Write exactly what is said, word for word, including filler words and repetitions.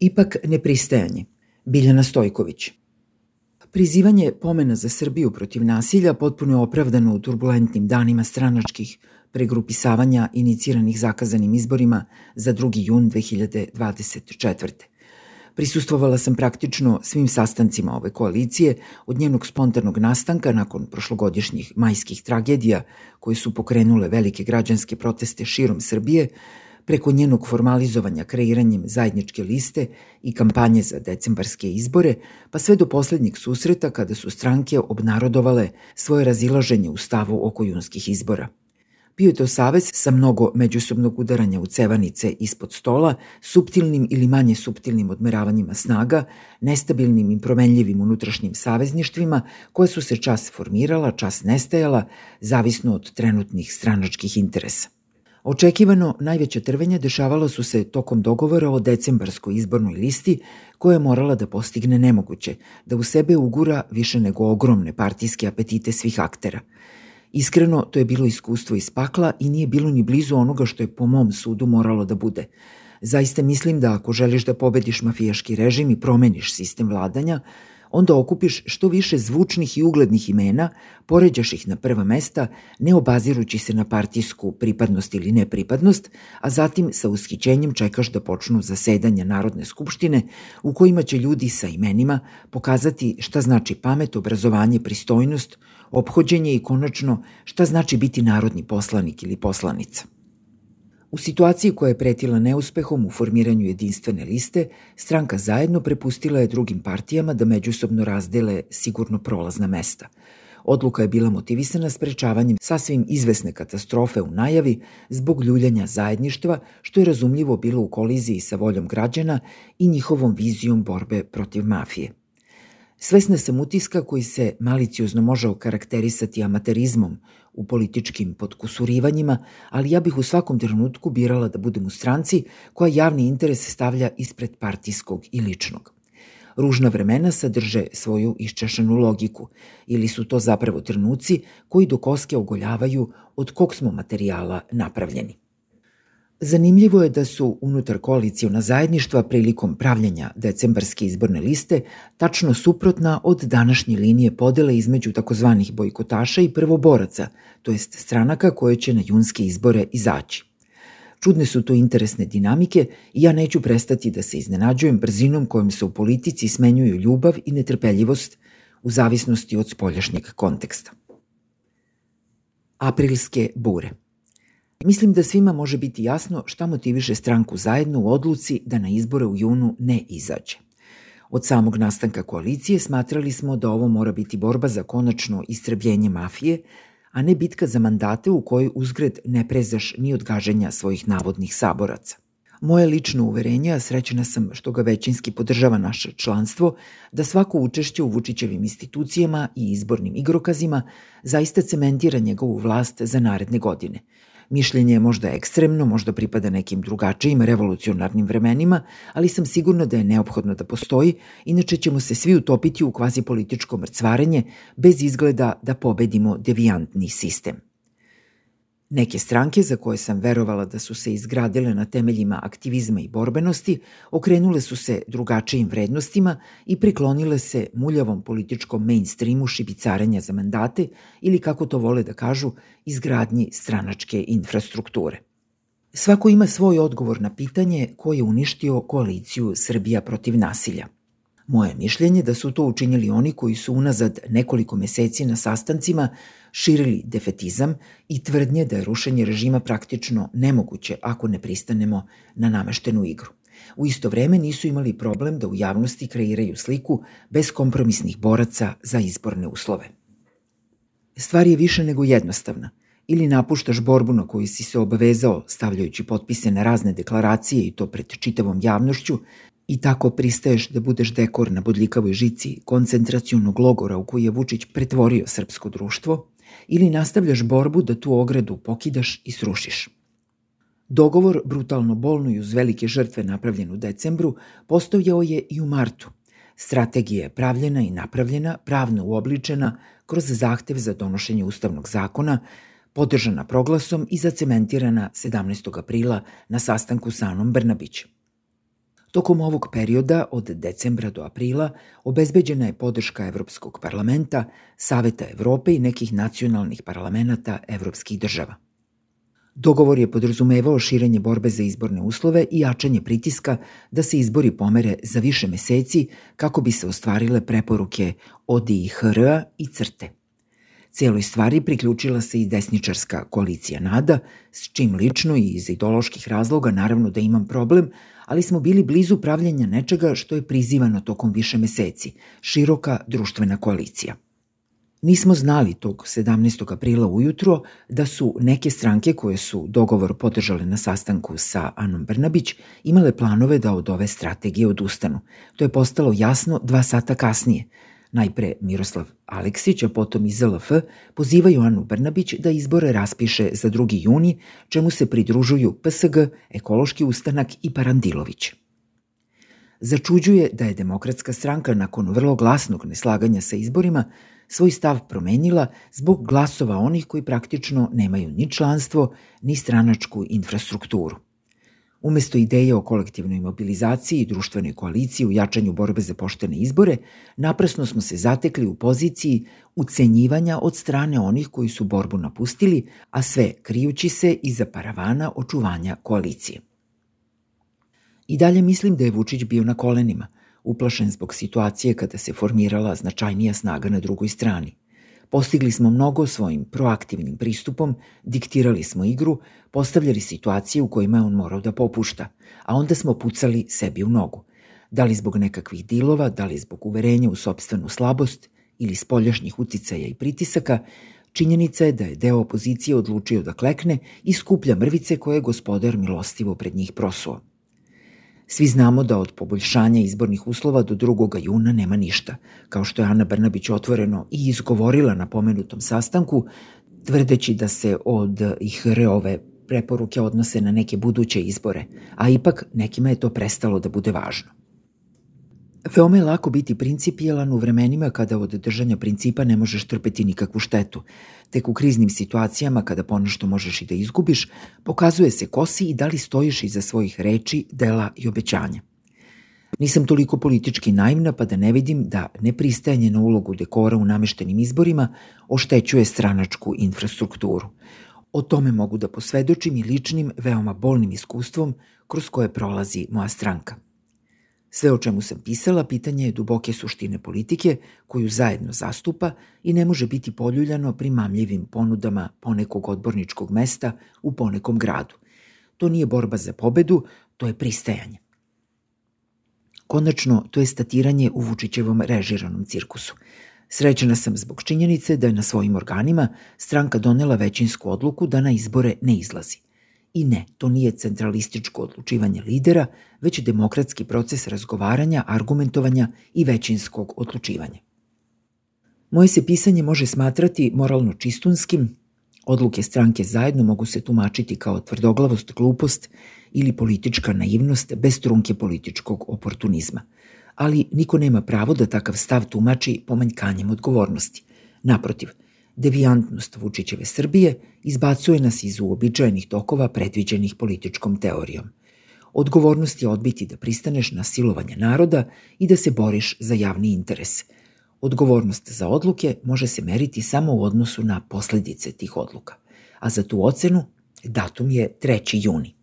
Ipak nepristajanje. Biljana Stojković. Prizivanje pomena za Srbiju protiv nasilja potpuno je opravdano u turbulentnim danima stranačkih pregrupisavanja iniciranih zakazanim izborima za drugi jun dve hiljade dvadeset četvrte. Prisustvovala sam praktično svim sastancima ove koalicije od njenog spontanog nastanka nakon prošlogodišnjih majskih tragedija koje su pokrenule velike građanske proteste širom Srbije, preko njenog formalizovanja kreiranjem zajedničke liste i kampanje za decembarske izbore, pa sve do poslednjeg susreta kada su stranke obnarodovale svoje razilaženje u stavu oko junskih izbora. Bio je to savez sa mnogo međusobnog udaranja u cevanice ispod stola, suptilnim ili manje suptilnim odmeravanjima snaga, nestabilnim i promenljivim unutrašnjim savezništvima koje su se čas formirala, čas nestajala, zavisno od trenutnih stranačkih interesa. Očekivano najveća trvenja dešavala su se tokom dogovora o decembarskoj izbornoj listi koja je morala da postigne nemoguće, da u sebe ugura više nego ogromne partijske apetite svih aktera. Iskreno, to je bilo iskustvo iz pakla i nije bilo ni blizu onoga što je po mom sudu moralo da bude. Zaista mislim da ako želiš da pobediš mafijaški režim i promeniš sistem vladanja, onda okupiš što više zvučnih i uglednih imena, poređaš ih na prva mesta, ne obazirući se na partijsku pripadnost ili nepripadnost, a zatim sa ushićenjem čekaš da počnu zasedanja Narodne skupštine u kojima će ljudi sa imenima pokazati šta znači pamet, obrazovanje, pristojnost, ophođenje i konačno šta znači biti narodni poslanik ili poslanica. U situaciji koja je pretila neuspehom u formiranju jedinstvene liste, stranka Zajedno prepustila je drugim partijama da međusobno razdele sigurno prolazna mesta. Odluka je bila motivisana sprečavanjem sasvim izvesne katastrofe u najavi zbog ljuljanja zajedništva, što je razumljivo bilo u koliziji sa voljom građana i njihovom vizijom borbe protiv mafije. Svesna sam utiska koji se maliciozno može okarakterisati amaterizmom u političkim potkusurivanjima, ali ja bih u svakom trenutku birala da budem u stranci koja javni interes stavlja ispred partijskog i ličnog. Ružna vremena sadrže svoju iščešanu logiku, ili su to zapravo trenuci koji do koske ogoljavaju od kog smo materijala napravljeni. Zanimljivo je da su unutar koaliciona zajedništva prilikom pravljenja decembarske izborne liste tačno suprotna od današnje linije podele između takozvanih bojkotaša i prvoboraca, to jest stranaka koje će na junske izbore izaći. Čudne su to interesne dinamike i ja neću prestati da se iznenađujem brzinom kojom se u politici smenjuju ljubav i netrpeljivost u zavisnosti od spoljašnjeg konteksta. Aprilske bure. Mislim da svima može biti jasno šta motiviše stranku Zajedno u odluci da na izbore u junu ne izađe. Od samog nastanka koalicije smatrali smo da ovo mora biti borba za konačno istrebljenje mafije, a ne bitka za mandate u kojoj uzgred ne prezaš ni od gaženja svojih navodnih saboraca. Moje lično uverenje, a srećena sam što ga većinski podržava naše članstvo, da svako učešće u Vučićevim institucijama i izbornim igrokazima zaista cementira njegovu vlast za naredne godine. Mišljenje je možda ekstremno, možda pripada nekim drugačijim revolucionarnim vremenima, ali sam sigurna da je neophodno da postoji, inače ćemo se svi utopiti u kvazipolitičko mrcvarenje bez izgleda da pobedimo devijantni sistem. Neke stranke, za koje sam verovala da su se izgradile na temeljima aktivizma i borbenosti, okrenule su se drugačijim vrednostima i priklonile se muljavom političkom mainstreamu šibicarenja za mandate ili, kako to vole da kažu, izgradnji stranačke infrastrukture. Svako ima svoj odgovor na pitanje ko je uništio koaliciju Srbija protiv nasilja. Moje mišljenje da su to učinili oni koji su unazad nekoliko meseci na sastancima širili defetizam i tvrdnje da je rušenje režima praktično nemoguće ako ne pristanemo na nameštenu igru. U isto vreme nisu imali problem da u javnosti kreiraju sliku beskompromisnih boraca za izborne uslove. Stvar je više nego jednostavna. Ili napuštaš borbu na koju si se obavezao stavljajući potpise na razne deklaracije i to pred čitavom javnošću, i tako pristaješ da budeš dekor na bodljikavoj žici koncentracionog logora u koji je Vučić pretvorio srpsko društvo, ili nastavljaš borbu da tu ogradu pokidaš i srušiš. Dogovor, brutalno bolno i uz velike žrtve napravljen u decembru, postojao je i u martu. Strategija je pravljena i napravljena, pravno uobličena kroz zahtev za donošenje ustavnog zakona, podržana proglasom i zacementirana sedamnaestog aprila na sastanku sa Anom Brnabić. Tokom ovog perioda od decembra do aprila obezbeđena je podrška Evropskog parlamenta, Saveta Evrope i nekih nacionalnih parlamenata evropskih država. Dogovor je podrazumevao širenje borbe za izborne uslove i jačanje pritiska da se izbori pomere za više meseci kako bi se ostvarile preporuke O D I H R A i CRTE. Cijeloj stvari priključila se i desničarska koalicija NADA, s čim lično i iz ideoloških razloga naravno da imam problem, ali smo bili blizu pravljenja nečega što je prizivano tokom više meseci, široka društvena koalicija. Nismo znali tog sedamnaestog aprila ujutro da su neke stranke koje su dogovor podržale na sastanku sa Anom Brnabić imale planove da od ove strategije odustanu. To je postalo jasno dva sata kasnije. Najpre Miroslav Aleksić, a potom i Z L F pozivaju Anu Brnabić da izbore raspiše za drugi juni, čemu se pridružuju P S G, Ekološki ustanak i Parandilović. Začuđuje da je Demokratska stranka nakon vrlo glasnog neslaganja sa izborima svoj stav promenila zbog glasova onih koji praktično nemaju ni članstvo, ni stranačku infrastrukturu. Umesto ideje o kolektivnoj mobilizaciji i društvenoj koaliciji u jačanju borbe za poštene izbore, naprasno smo se zatekli u poziciji ucenjivanja od strane onih koji su borbu napustili, a sve krijući se iza paravana očuvanja koalicije. I dalje mislim da je Vučić bio na kolenima, uplašen zbog situacije kada se formirala značajnija snaga na drugoj strani. Postigli smo mnogo svojim proaktivnim pristupom, diktirali smo igru, postavljali situacije u kojima je on morao da popušta, a onda smo pucali sebi u nogu. Da li zbog nekakvih dilova, da li zbog uverenja u sopstvenu slabost ili spoljašnjih uticaja i pritisaka, činjenica je da je deo opozicije odlučio da klekne i skuplja mrvice koje je gospodar milostivo pred njih prosuo. Svi znamo da od poboljšanja izbornih uslova do drugog juna nema ništa, kao što je Ana Brnabić otvoreno i izgovorila na pomenutom sastanku, tvrdeći da se od I H R ove preporuke odnose na neke buduće izbore, a ipak nekima je to prestalo da bude važno. Veoma je lako biti principijelan u vremenima kada od držanja principa ne možeš trpeti nikakvu štetu. Tek u kriznim situacijama kada ponešto možeš i da izgubiš, pokazuje se ko si i da li stojiš iza svojih reči, dela i obećanja. Nisam toliko politički naivna pa da ne vidim da nepristajanje na ulogu dekora u nameštenim izborima oštećuje stranačku infrastrukturu. O tome mogu da posvedočim i ličnim, veoma bolnim iskustvom kroz koje prolazi moja stranka. Sve o čemu sam pisala pitanje je duboke suštine politike koju zajedno zastupa i ne može biti poljuljano primamljivim ponudama ponekog odborničkog mesta u ponekom gradu. To nije borba za pobedu, to je pristajanje. Konačno, to je statiranje u Vučićevom režiranom cirkusu. Srećena sam zbog činjenice da je na svojim organima stranka donela većinsku odluku da na izbore ne izlazi. I ne, to nije centralističko odlučivanje lidera, već demokratski proces razgovaranja, argumentovanja i većinskog odlučivanja. Moje se pisanje može smatrati moralno čistunskim, odluke stranke zajedno mogu se tumačiti kao tvrdoglavost, glupost ili politička naivnost bez trunke političkog oportunizma. Ali niko nema pravo da takav stav tumači pomanjkanjem odgovornosti. Naprotiv, devijantnost Vučićeve Srbije izbacuje nas iz uobičajenih tokova predviđenih političkom teorijom. Odgovornost je odbiti da pristaneš na silovanje naroda i da se boriš za javni interes. Odgovornost za odluke može se meriti samo u odnosu na posledice tih odluka, a za tu ocenu datum je treći juni.